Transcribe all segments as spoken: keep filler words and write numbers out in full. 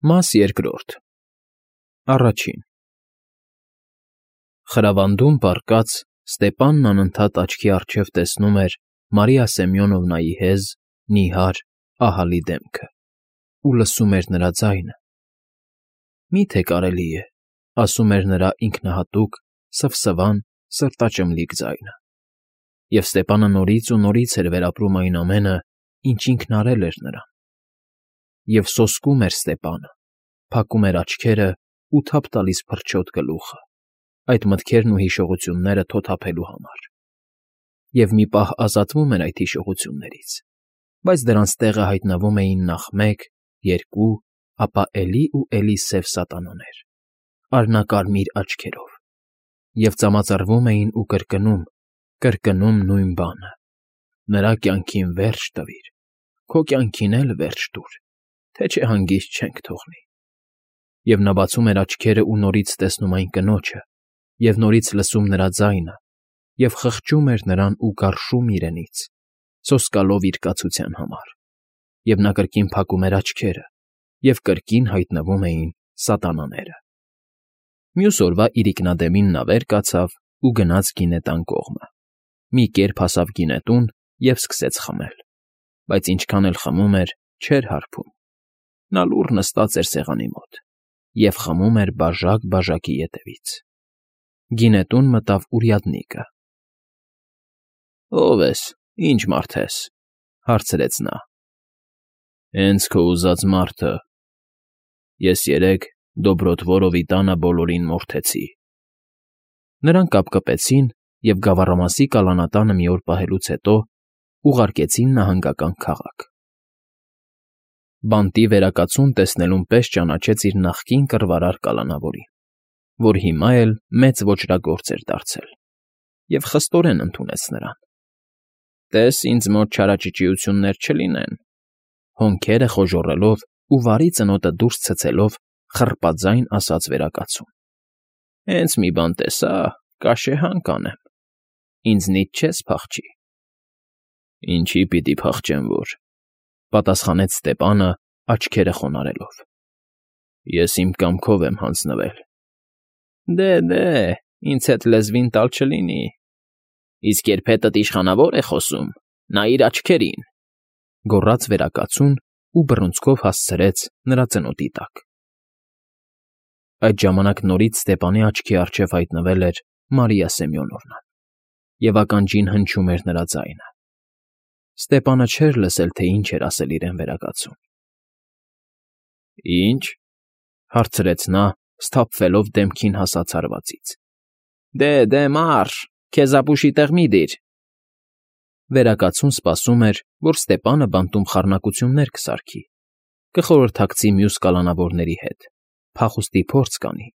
Մաս երկրորդ Առաջին Խրավանդում պառկած՝ Ստեպանն անընդհատ աչքի առջև տեսնում էր Մարիա Սեմյոնովնայի հեզ, նիհար, ահռելի դեմքը ու լսում էր նրա ձայնը։ «Մի՞թե կարելի է,֊ ասում էր նրա ինքնահատուկ, սվսվան, սրտաճմլիկ ձայնը։ Եվ Ստեպանը նորից ու նորից էր վերապրում այն ամենը, ինչ ինքն արել էր նրան։ Եվ սոսկում էր Ստեպանը, փակում էր աչքերը ու թափ տալիս փրչոտ գլուխը, այդ մտքերն ու հիշողությունները թոթափելու համար։ Եվ մի պահ ազատվում էր այդ հիշողություններից, բայց դրանց տեղը հայտնվում էին նախ մեկ, երկու, ապա էլի ու էլի սև սատանաներ, արհնակարմիր աչքերով, և ծամածռվում էին ու կրկնում, կրկնում նույն բանը. «Նրա կյանքին վերջ տվիր, քո կյանքին էլ վերջ տուր, թե չէ հանգիստ չենք թողնի»։ Եվ նա բացում էր աչքերը ու նորից տեսնում այն կնոջը, և նորից լսում նրա ձայնը, և խղճում էր նրան ու գարշում իրենից, սոսկալով իր կացության համար, և նա կրկին փակում էր աչքերը, և կրկին հայտնվում էին սատանաները։ Մյուս օրվա իրիկնադեմին նա վեր կացավ ու գնաց գինետան կողմը, մի կերպ հասավ գինետուն և սկսեց խմել, բայց ինչքան էլ խմում էր, չէր հարբում։ Նա լուռ նստած էր սեղանի մոտ և խմում էր բաժակ֊բաժակի ետևից։ Գինետուն մտավ урядникը։ «Ո՞վ ես, ի՞նչ մարդ ես,֊ հարցրեց նա։ «Հենց քո ուզած մարդը. ես երեկ Դոբրոտ֊Վորովի տանը բոլորին մորթեցի»։ Նրանք կապկպեցին և գավառամասի կալանատանը մի օր պահելուց հետո ուղարկեցին նահանգական քաղաք։ Բանտի վերակացուն տեսնելուն պես ճանաչեց իր նախկին կռվարար կալանավորին, որ հիմա էլ մեծ ոճրագործ էր դարձել, և խստորեն ընդունեց նրան։ «Տես ինձ մոտ չարաճճիություններ չլինեն,֊ հոնքերը խոժոռելով ու վարի ծնոտը դուրս ցցելով խռպաձայն ասաց վերակացուն։֊ Հենց մի բան տեսա, կաշեհան կանեմ, ինձնից չես փախչի»։ «Ինչի՞ պիտի փախչեմ որ,֊ պատասխանեց Ստեպանը, աչքերը խոնարհելով։ «Ես իմ կամքով եմ հանձնվել»։ «Դե՛, ինձ հետ լեզվին տալ չլինի, իսկ երբ հետդ իշխանավոր է խոսում, նայիր աչքերին,֊ գոռաց վերակացուն ու բռունցքով հասցրեց նրա ծնոտի տակ։ Այդ ժամանակ նորից Ստեպանի աչքի առջև հայտնվել էր Մարիա Սեմյոնովնան, և ականջին հնչում էր նրա ձայնը։ Ստեպանը չէր լսել, թե ինչ էր ասել իրեն վերակացուն։ «Ի՞նչ,֊ հարցրեց նա, սթափվելով դեմքին հասած հարվածից։ Դե՛, մա՛րշ, քեզ ապուշի տեղ մի՛ դիր»։ Վերակացուն սպասում էր, որ Ստեպանը բանտում խառնակություններ կսարքի, կխորհրդակցի մյուս կալանավորների հետ, փախուստի փորձ կանի,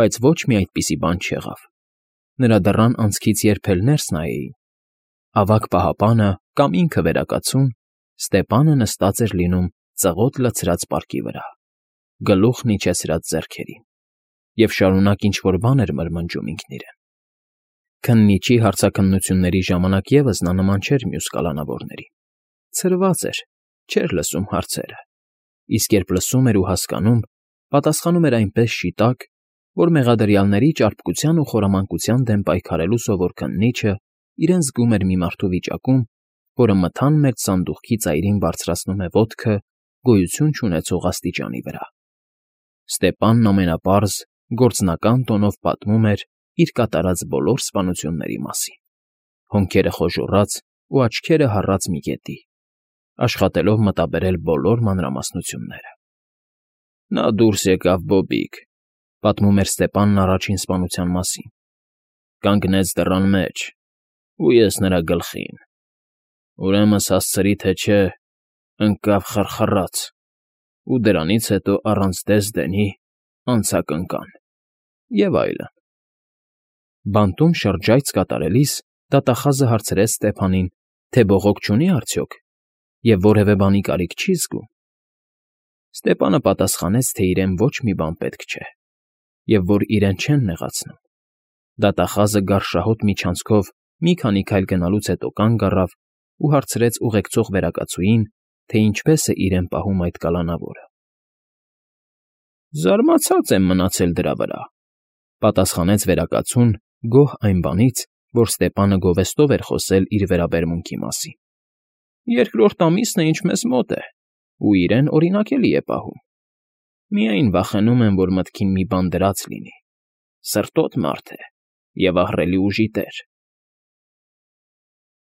բայց ոչ մի այդպիսի բան չեղավ։ Նրա դռան անցքից երբ էլ ներս նայեին, ավագ պահապանը կամ ինքը վերակացուն, Ստեպանը նստած էր լինում ծղոտ լցրած պարկի վրա, գլուխն իջեցրած ձեռքերին, և շարունակ ինչ֊որ բան էր մրմնջում ինքն իրեն։ Քննիչի հարցաքննությունների ժամանակ ևս նա նման չէր մյուս կալանավորներին, ցրված էր, չէր լսում հարցերը, իսկ երբ լսում էր ու հասկանում, պատասխանում էր այնպես շիտակ, որ մեղադրյալների ճարպկության ու խորամանկության դեմ պայքարելու սովոր քննիչը իրեն զգում էր մի մարդու վիճակում, որը մթան մեջ սանդուղքի ծայրին բարձրացնում է ոտքը գոյություն չունեցող աստիճանի վրա։ Ստեպանն ամենապարզ, գործնական տոնով պատմում էր իր կատարած բոլոր սպանությունների մասին, հոնքերը խոժոռած ու աչքերը հառած մի կետի, աշխատելով մտաբերել բոլոր մանրամասնությունները։ «Նա դուրս եկավ բոբիկ,֊ պատմում էր Ստեպանն առաջին սպանության մասին,֊ կանգնեց դռան մեջ, ու ես նրա գլխին։ Ուրեմն հասցրի թե չէ, ընկավ խռխռաց, ու դրանից հետո առանց դես֊դենի անցա կնկան» և այլն։ Բանտում շրջայց կատարելիս դատախազը հարցրեց Ստեփանին, թե բողոք չունի՞ արդյոք և որևէ բանի կարիք չի՞ զգում։ Ստեպանը պատասխանեց, թե իրեն ոչ մի բան պետք չէ, և որ իրեն չեն նեղացնում։ Դատախազը գարշահոտ միջանցքով մի քանի քայլ գնալուց հետո կանգ առավ ու հարցրեց ուղեկցող վերակացուին, թե ինչպես է իրեն պահում այդ կալանավորը։ Զարմացած եմ մնացել դրա վրա,֊ պատասխանեց վերակացուն, գոհ այն բանից, որ Ստեպանը գովեստով էր խոսել իր վերաբերմունքի մասին։֊ Երկրորդ ամիսն է, ինչ մեզ մոտ է, ու իրեն օրինակելի է պահում. միայն վախենում եմ, որ մտքին մի բան դրած լինի, սրտոտ մարդ է և ահռելի ուժի տեր։